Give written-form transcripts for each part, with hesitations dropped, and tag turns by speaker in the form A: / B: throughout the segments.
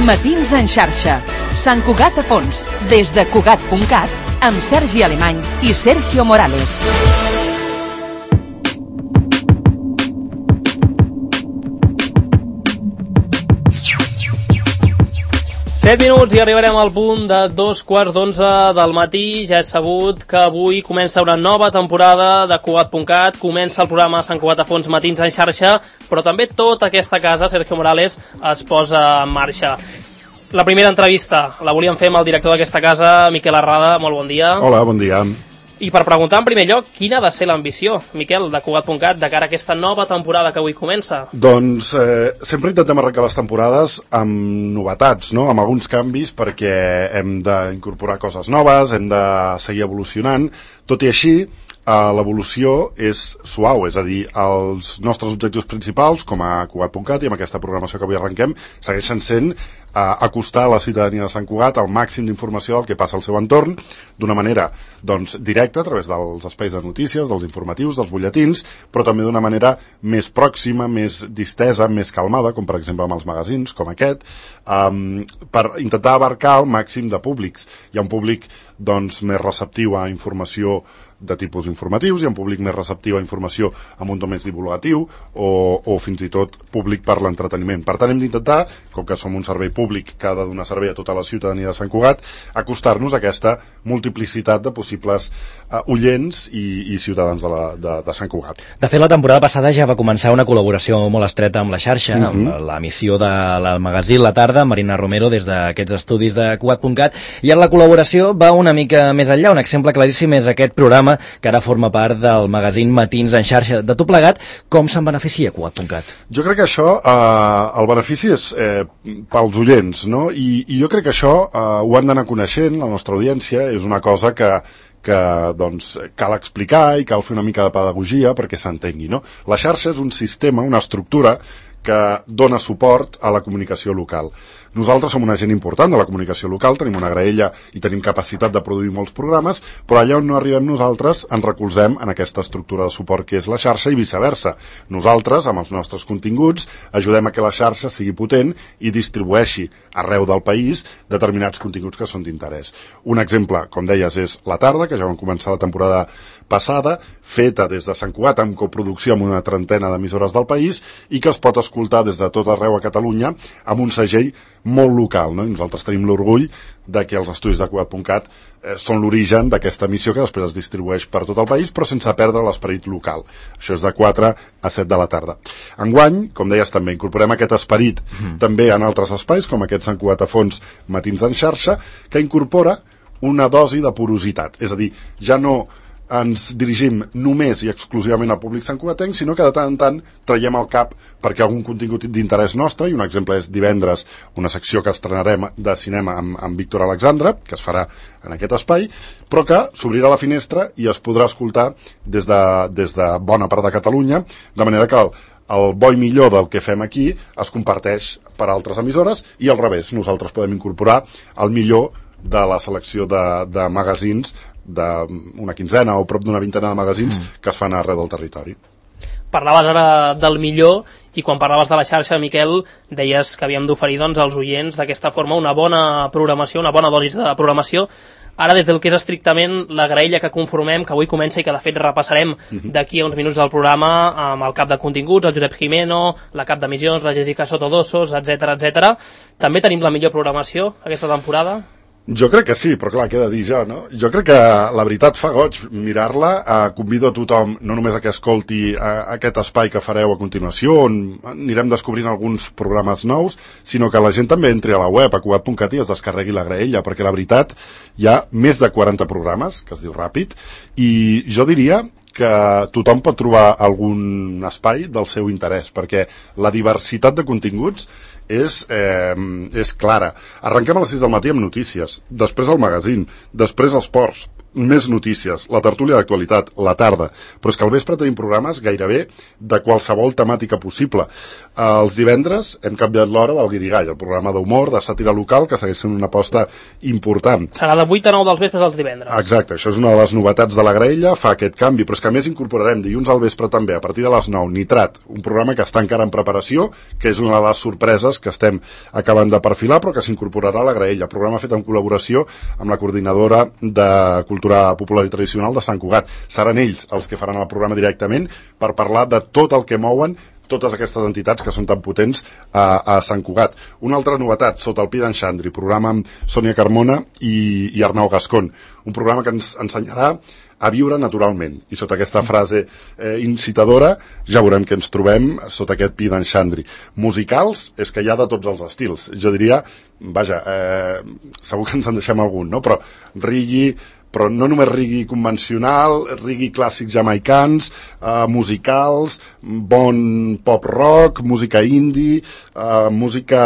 A: Matins en xarxa. Sant Cugat a fons. Des de Cugat.cat amb Sergi Alemany i Sergio Morales.
B: Set minuts i arribarem al punt de 2:15 del matí. Ja és sabut que avui comença una nova temporada de Cugat.cat, comença el programa Sant Cugat a fons Matins en xarxa, però també tota aquesta casa, Sergio Morales, es posa en marxa. La primera entrevista la volíem fer amb el director d'aquesta casa, Miquel Arrada. Molt bon dia.
C: Hola, bon dia.
B: I per preguntar en primer lloc, quina ha de ser l'ambició, Miquel, de Cugat.cat, de cara a aquesta nova temporada que avui comença?
C: Doncs sempre intentem arrencar les temporades amb novetats, no? Amb alguns canvis, perquè hem d'incorporar coses noves, hem de seguir evolucionant. Tot i així, l'evolució és suau, és a dir, els nostres objectius principals, com a Cugat.cat i amb aquesta programació que avui arrenquem, segueixen sent acostar a la ciutadania de Sant Cugat al màxim d'informació del que passa al seu entorn, d'una manera doncs, directa, a través dels espais de notícies, dels informatius, dels butlletins, però també d'una manera més pròxima, més distesa, més calmada, com per exemple amb els magazins, com aquest, per intentar abarcar el màxim de públics. Hi ha un públic doncs, més receptiu a informació de tipus informatius, hi ha un públic més receptiu a informació amb un to més divulgatiu o fins i tot públic per l'entreteniment. Per tant, hem d'intentar, com que som un servei públic que ha de donar servei a tota la ciutadania de Sant Cugat, acostar-nos a aquesta multiplicitat de possibles oients i ciutadans de Sant Cugat.
D: De fet, la temporada passada ja va començar una col·laboració molt estreta amb la xarxa, amb l'emissió del magazín La Tarda, Marina Romero, des d'aquests estudis de Cugat.cat, i ara la col·laboració va una mica més enllà. Un exemple claríssim és aquest programa que ara forma part del magazín Matins en xarxa. De tot plegat, com se'n beneficia Cugat.cat?
C: Jo crec que això, el benefici és pels oients, no? I jo crec que això ho han d'anar coneixent, la nostra audiència, és una cosa que doncs, cal explicar i cal fer una mica de pedagogia perquè s'entengui, no? La xarxa és un sistema, una estructura que dona suport a la comunicació local. Nosaltres som un agent important de la comunicació local, tenim una graella i tenim capacitat de produir molts programes, però allà on no arribem nosaltres ens recolzem en aquesta estructura de suport que és la xarxa i viceversa. Nosaltres, amb els nostres continguts, ajudem a que la xarxa sigui potent i distribueixi arreu del país determinats continguts que són d'interès. Un exemple, com deies, és La Tarda, que ja vam començar la temporada passada, feta des de Sant Cugat amb coproducció amb una trentena d'emissores del país i que es pot escoltar des de tot arreu a Catalunya amb un segell molt local, no? I nosaltres tenim l'orgull de que els estudis de Cugat.cat són l'origen d'aquesta emissió que després es distribueix per tot el país, però sense perdre l'esperit local. Això és de 4 a 7 de la tarda. Enguany, com deies també, incorporem aquest esperit també en altres espais, com aquest Sant Cugat a fons Matins en xarxa, que incorpora una dosi de porositat. És a dir, ja no ens dirigim només i exclusivament al públic santcugatenc, sinó que de tant en tant traiem al cap perquè algun contingut d'interès nostre, i un exemple és divendres una secció que estrenarem de cinema amb Víctor Alexandre, que es farà en aquest espai, però que s'obrirà la finestra i es podrà escoltar des de bona part de Catalunya, de manera que el bo i millor del que fem aquí es comparteix per altres emissores i al revés, nosaltres podem incorporar el millor de la selecció de magazins d'una quinzena o prop d'una vintena de magazins que es fan arreu del territori.
B: Parlaves ara del millor i quan parlaves de la xarxa, Miquel, deies que havíem d'oferir doncs, als oients d'aquesta forma una bona programació, una bona dosi de programació. Ara, des del que és estrictament la graella que conformem, que avui comença i que de fet repassarem d'aquí a uns minuts del programa amb el cap de continguts, el Josep Jimeno, la cap d'emissions, la Jessica Sotodossos, etc. També tenim la millor programació aquesta temporada?
C: Jo crec que sí, però clar, què he de dir jo, no? Jo crec que la veritat fa goig mirar-la. Convido a tothom no només a que escolti aquest espai que fareu a continuació, on anirem descobrint alguns programes nous, sinó que la gent també entri a la web, a Cugat.cat, i es descarregui la graella, perquè la veritat hi ha més de 40 programes, que es diu ràpid, i jo diria que tothom pot trobar algun espai del seu interès, perquè la diversitat de continguts és clara. Arrenquem a les 6 del matí amb notícies, després el magazín, després els ports, més notícies, la tertúlia d'actualitat, la tarda, però és que al vespre tenim programes gairebé de qualsevol temàtica possible. Els divendres hem canviat l'hora del Guirigall, el programa d'humor, de sàtira local, que segueix sent una aposta important.
B: Serà de 8 a 9 dels vespres als divendres.
C: Exacte, això és una de les novetats de la graella, fa aquest canvi, però és que a més incorporarem dilluns al vespre també, a partir de les 9, Nitrat, un programa que està encara en preparació, que és una de les sorpreses que estem acabant de perfilar, però que s'incorporarà a la graella, programa fet en col·laboració amb la coordinadora de Cultura Popular i Tradicional de Sant Cugat. Seran ells els que faran el programa directament per parlar de tot el que mouen totes aquestes entitats que són tan potents a Sant Cugat. Una altra novetat, Sota el pi d'en Xandri, programa amb Sònia Carmona i Arnau Gascon, un programa que ens ensenyarà a viure naturalment. I sota aquesta frase incitadora ja veurem que ens trobem sota aquest pi d'en Xandri. Musicals és que hi ha de tots els estils. Jo diria, vaja, segur que ens en deixem algun, no? Però reggae, però no només reggae convencional, reggae clàssics jamaicans, musicals, bon pop rock, música indie, música,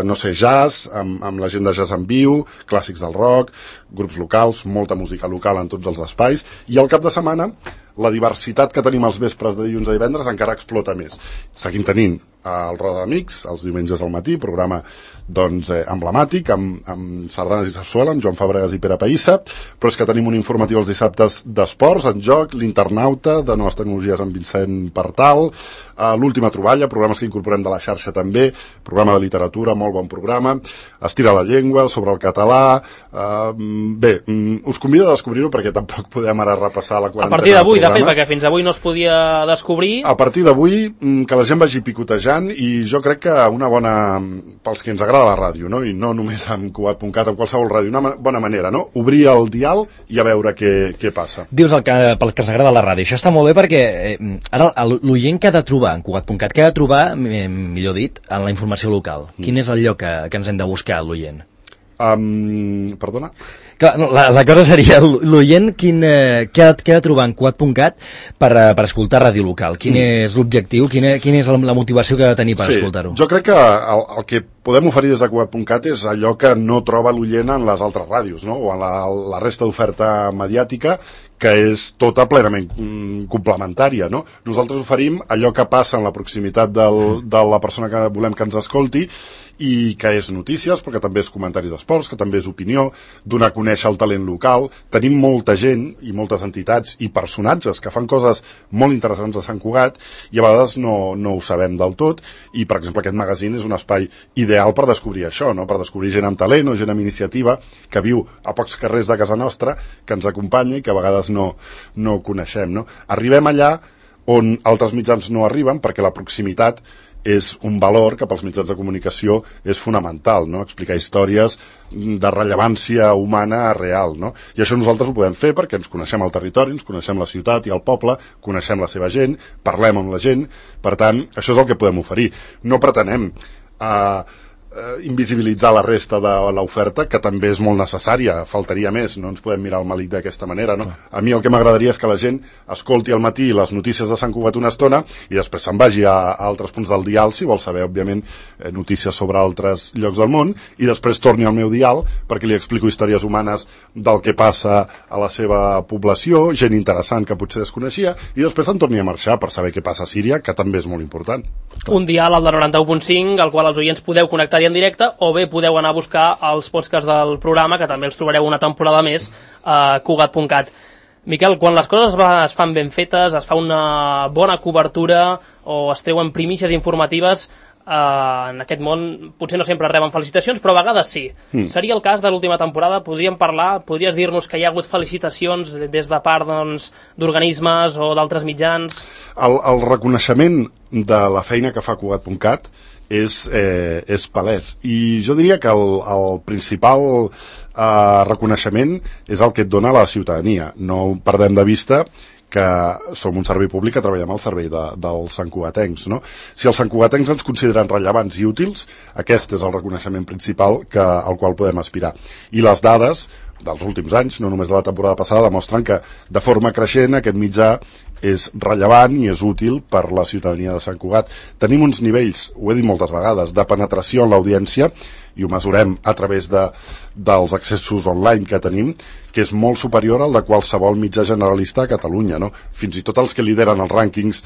C: no sé, jazz, amb la gent de jazz en viu, clàssics del rock, grups locals, molta música local en tots els espais, i al cap de setmana la diversitat que tenim als vespres de dilluns a divendres encara explota més. Seguim tenint el Roda d'Amics, els diumenges al matí, programa doncs, emblemàtic, amb sardanes i sarsuela, amb Joan Fabregas i Pere Païssa, però és que tenim un informatiu els dissabtes d'esports, en joc, l'internauta, de noves tecnologies amb Vicent Partal, l'última troballa, programes que incorporem de la xarxa també, programa de literatura, molt bon programa, Estira la llengua, sobre el català, bé, us convido a descobrir-ho perquè tampoc podem ara repassar la quarantena.
B: A partir d'avui, de fet, perquè fins avui no es podia descobrir.
C: A partir d'avui, que la gent vagi picotejant, i jo crec que una bona, pels que ens agrada la ràdio, no? I no només amb Cugat.cat, amb qualsevol ràdio, una bona manera, no? Obrir el dial i a veure què passa.
D: Dius pels que ens agrada la ràdio. Això està molt bé perquè ara l'oient que ha de trobar en Cugat.cat, que ha de trobar, millor dit, en la informació local. Quin és el lloc que ens hem de buscar, l'oient?
C: Perdona?
D: Clar, no, la cosa seria l'oient què ha de trobar en Cugat.cat per escoltar ràdio local. Quin és l'objectiu? Quina és la motivació que ha de tenir per escoltar-ho?
C: Jo crec que el que podem oferir des de Cugat.cat és allò que no troba l'oient en les altres ràdios, no? O en la resta d'oferta mediàtica, que és tota plenament complementària, no? Nosaltres oferim allò que passa en la proximitat de la persona que volem que ens escolti, i que és notícies, perquè també és comentaris d'esports, que també és opinió, donar a conèixer el talent local. Tenim molta gent i moltes entitats i personatges que fan coses molt interessants a Sant Cugat i a vegades no ho sabem del tot, i per exemple aquest magazín és un espai ideal per descobrir això, no? Per descobrir gent amb talent o gent amb iniciativa que viu a pocs carrers de casa nostra, que ens acompanya i que a vegades no coneixem, no? Arribem allà on altres mitjans no arriben, perquè la proximitat és un valor que pels mitjans de comunicació és fonamental, no? Explicar històries de rellevància humana real, no? I això nosaltres ho podem fer perquè ens coneixem el territori, ens coneixem la ciutat i el poble, coneixem la seva gent, parlem amb la gent, per tant, això és el que podem oferir. No pretenem invisibilitzar la resta de l'oferta, que també és molt necessària, faltaria més, no ens podem mirar el melic d'aquesta manera, no? A mi el que m'agradaria és que la gent escolti al matí les notícies de Sant Cugat una estona i després se'n vagi a altres punts del dial, si vol saber, òbviament, notícies sobre altres llocs del món, i després torni al meu dial perquè li explico històries humanes del que passa a la seva població, gent interessant que potser desconeixia, i després se'n torni a marxar per saber què passa a Síria, que també és molt important.
B: Un dial, el de 91.5, al qual els oients podeu connectar en directe, o bé podeu anar a buscar els podcasts del programa, que també els trobareu una temporada més a Cugat.cat. Miquel, quan les coses es fan ben fetes, es fa una bona cobertura o es treuen primícies informatives, en aquest món potser no sempre reben felicitacions, però a vegades sí. Seria el cas de l'última temporada? Podries dir-nos que hi ha hagut felicitacions des de part d'organismes o d'altres mitjans?
C: El reconeixement de la feina que fa Cugat.cat és palès, i jo diria que el principal reconeixement és el que et dona la ciutadania. No perdem de vista que som un servei públic que treballem al servei dels santcugatencs, no? Si els santcugatencs ens consideren rellevants i útils, aquest és el reconeixement principal al qual podem aspirar. I les dades dels últims anys, no només de la temporada passada, demostren que de forma creixent aquest mitjà és rellevant i és útil per la ciutadania de Sant Cugat. Tenim uns nivells, ho he dit moltes vegades, de penetració en l'audiència i ho mesurem a través dels accessos online que tenim, que és molt superior al de qualsevol mitjà generalista a Catalunya, no? Fins i tot els que lideren els rànquings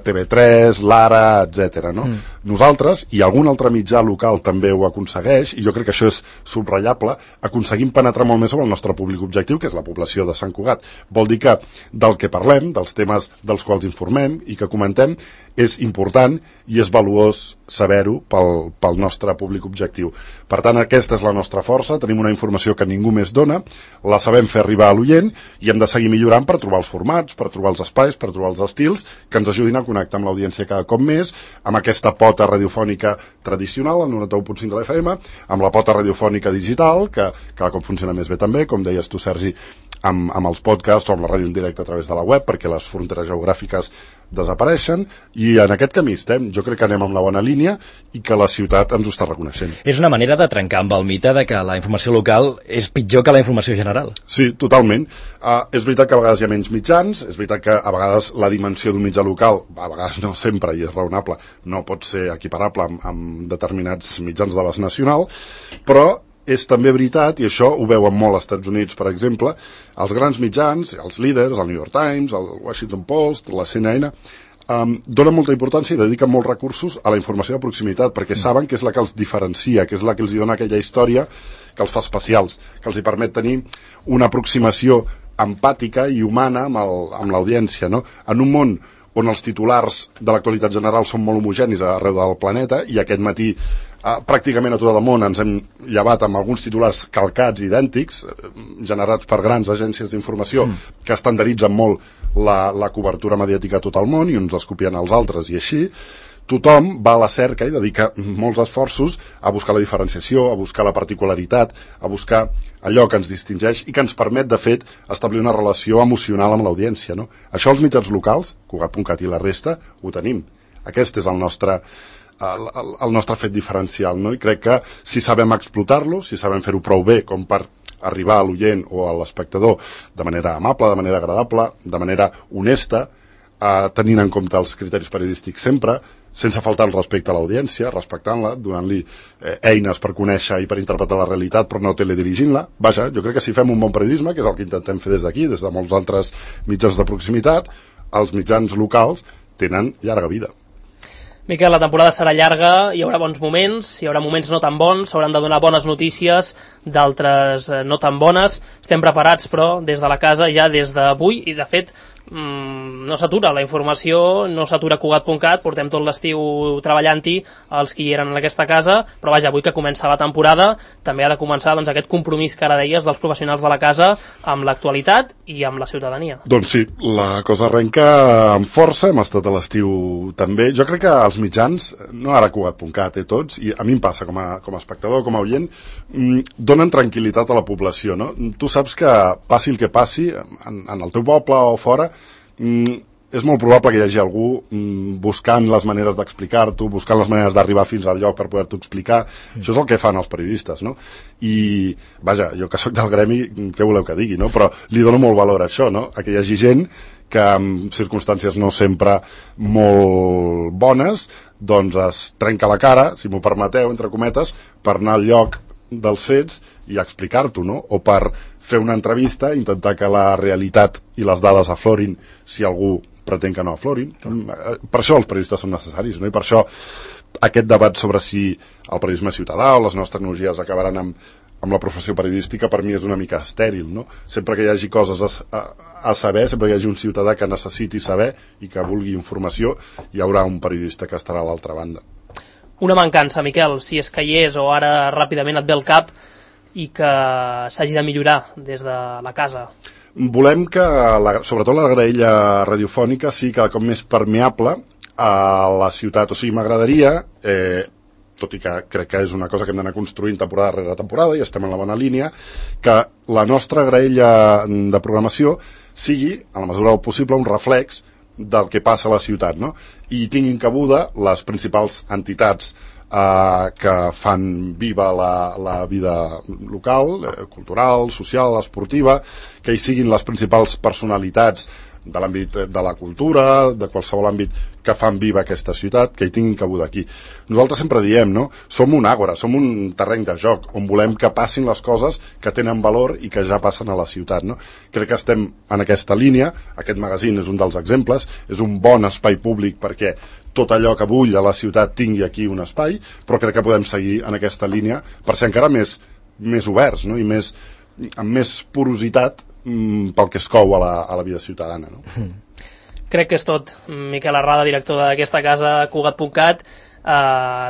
C: TV3, l'Ara, etc. No? Nosaltres, i algun altre mitjà local també ho aconsegueix, i jo crec que això és subratllable, aconseguim penetrar molt més sobre el nostre públic objectiu, que és la població de Sant Cugat. Vol dir que del que parlem, dels temes dels quals informem i que comentem, és important i és valuós saber-ho pel nostre públic objectiu. Per tant, aquesta és la nostra força, tenim una informació que ningú més dona, la sabem fer arribar a l'oient i hem de seguir millorant per trobar els formats, per trobar els espais, per trobar els estils que ens ajudin a connectar amb l'audiència cada cop més, amb aquesta pota radiofònica tradicional, el 91.5 de l'FM, amb la pota radiofònica digital, que cada cop funciona més bé també, com deies tu, Sergi, amb els podcasts o amb la ràdio en directe a través de la web, perquè les fronteres geogràfiques desapareixen, i en aquest camí estem. Jo crec que anem amb la bona línia i que la ciutat ens ho està reconeixent.
D: És una manera de trencar amb el mite de que la informació local és pitjor que la informació general.
C: Sí, totalment. És veritat que a vegades hi ha menys mitjans, és veritat que a vegades la dimensió d'un mitjà local, a vegades no sempre, i és raonable, no pot ser equiparable amb determinats mitjans de l'abast nacional, però és també veritat, i això ho veuen molt als Estats Units, per exemple, els grans mitjans, els líders, el New York Times, el Washington Post, la CNN, donen molta importància i dediquen molts recursos a la informació de proximitat, perquè saben que és la que els diferencia, que és la que els dona aquella història que els fa especials, que els hi permet tenir una aproximació empàtica i humana amb l'audiència, no? En un món on els titulars de l'actualitat general són molt homogenis arreu del planeta, i aquest matí pràcticament a tot el món ens hem llevat amb alguns titulars calcats idèntics, generats per grans agències d'informació que estandarditzen molt la cobertura mediàtica a tot el món i uns els copien als altres, i així tothom va a la cerca i dedica molts esforços a buscar la diferenciació, a buscar la particularitat, a buscar allò que ens distingeix i que ens permet, de fet, establir una relació emocional amb l'audiència, no? Això els mitjans locals, Cugat.cat i la resta, ho tenim. Aquest és el nostre fet diferencial, no? I crec que si sabem explotar-lo, si sabem fer-ho prou bé com per arribar a l'oient o a l'espectador de manera amable, de manera agradable, de manera honesta, tenint en compte els criteris periodístics sempre, sense faltar el respecte a l'audiència, respectant-la, donant-li eines per conèixer i per interpretar la realitat, però no teledirigint-la. Vaja, jo crec que si fem un bon periodisme, que és el que intentem fer des d'aquí, des de molts altres mitjans de proximitat, els mitjans locals tenen llarga vida.
B: Miquel, la temporada serà llarga, hi haurà bons moments, hi haurà moments no tan bons, s'hauran de donar bones notícies, d'altres no tan bones. Estem preparats, però, des de la casa, ja des d'avui, i de fet no s'atura la informació, no s'atura Cugat.cat, portem tot l'estiu treballant-hi els que hi eren en aquesta casa, però vaja, avui que comença la temporada també ha de començar doncs, aquest compromís que ara deies dels professionals de la casa amb l'actualitat i amb la ciutadania.
C: Doncs sí, la cosa arrenca amb força, hem estat a l'estiu també. Jo crec que els mitjans, no ara Cugat.cat, tots, i a mi em passa com a espectador, com a oient, donen tranquil·litat a la població, no? Tu saps que passi el que passi, en el teu poble o fora, és molt probable que hi hagi algú buscant les maneres d'explicar-t'ho, buscant les maneres d'arribar fins al lloc per poder-t'ho explicar. Això és el que fan els periodistes, no? I, vaja, jo que sóc del gremi, què voleu que digui, no? Però li dono molt valor a això, no? A que hi hagi gent que en circumstàncies no sempre molt bones, doncs es trenca la cara, si m'ho permeteu, entre cometes, per anar al lloc dels fets i explicar-t'ho, no? O per fer una entrevista, intentar que la realitat i les dades aflorin si algú pretén que no aflorin. Per això els periodistes són necessaris, no? I per això aquest debat sobre si el periodisme ciutadà o les noves tecnologies acabaran amb la professió periodística, per mi és una mica estèril, no? Sempre que hi hagi coses a saber, sempre que hi hagi un ciutadà que necessiti saber i que vulgui informació, hi haurà un periodista que estarà a l'altra banda.
B: Una mancança, Miquel, si és que hi és o ara ràpidament et ve al cap i que s'hagi de millorar des de la casa.
C: Volem que, sobretot la graella radiofònica, sigui cada cop més permeable a la ciutat. O sigui, m'agradaria, tot i que crec que és una cosa que hem d'anar construint temporada rere temporada i estem en la bona línia, que la nostra graella de programació sigui, a la mesura del possible, un reflex del que passa a la ciutat, no? I tinguin cabuda les principals entitats que fan viva la vida local, cultural, social, esportiva, que hi siguin les principals personalitats de l'àmbit de la cultura, de qualsevol àmbit que fan viva aquesta ciutat, que hi tinguin cabuda aquí. Nosaltres sempre diem, no? Som un àgora, som un terreny de joc, on volem que passin les coses que tenen valor i que ja passen a la ciutat, no? Crec que estem en aquesta línia, aquest magazín és un dels exemples, és un bon espai públic perquè tot allò que bull a la ciutat tingui aquí un espai, però crec que podem seguir en aquesta línia per ser encara més oberts, no? I amb més porositat pel que es cou a la vida ciutadana, no?
B: Crec que és tot. Miquel Arrada, director d'aquesta casa, Cugat.cat.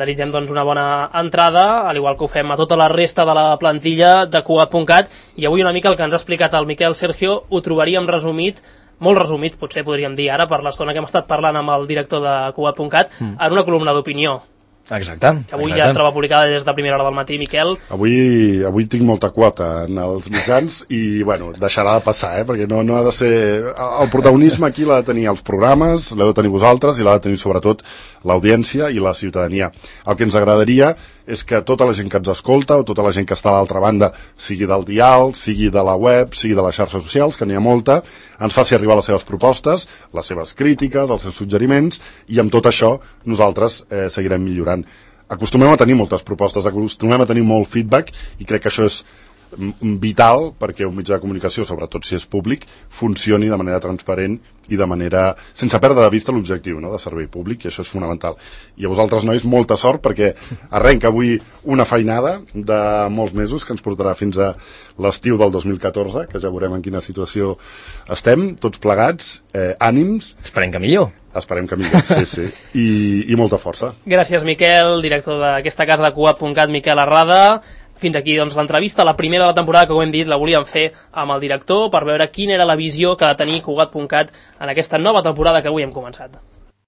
B: Desitgem doncs una bona entrada, al igual que ho fem a tota la resta de la plantilla de Cugat.cat, i avui una mica el que ens ha explicat el Miquel, Sergio, ho trobaríem resumit, molt resumit, potser podríem dir ara, per l'estona que hem estat parlant amb el director de Cugat.cat, en una columna d'opinió.
D: Exacte.
B: Avui ja es troba publicada des de primera hora del matí, Miquel.
C: Avui tinc molta quota en els mitjans i, bueno, deixarà de passar, perquè no ha de ser... El protagonisme aquí l'ha de tenir els programes, l'heu de tenir vosaltres i l'ha de tenir sobretot l'audiència i la ciutadania. El que ens agradaria és que tota la gent que ens escolta o tota la gent que està a l'altra banda, sigui del dial, sigui de la web, sigui de les xarxes socials, que n'hi ha molta, ens faci arribar les seves propostes, les seves crítiques, els seus suggeriments, i amb tot això nosaltres seguirem millorant. Acostumem a tenir moltes propostes, acostumem a tenir molt feedback, i crec que això és vital perquè un mitjà de comunicació, sobretot si és públic, funcioni de manera transparent i de manera, sense perdre de vista l'objectiu, no?, de servei públic, i això és fonamental. I a vosaltres, nois, molta sort, perquè arrenca avui una feinada de molts mesos que ens portarà fins a l'estiu del 2014, que ja veurem en quina situació estem, tots plegats, ànims.
D: Esperem que millor.
C: Esperem que millor, sí. I molta força.
B: Gràcies, Miquel, director d'aquesta casa de Cugat.cat, Miquel Arrada. Fins aquí doncs, l'entrevista, la primera de la temporada, que ho hem dit, la volíem fer amb el director per veure quina era la visió que ha de tenir Cugat.cat en aquesta nova temporada que avui hem començat.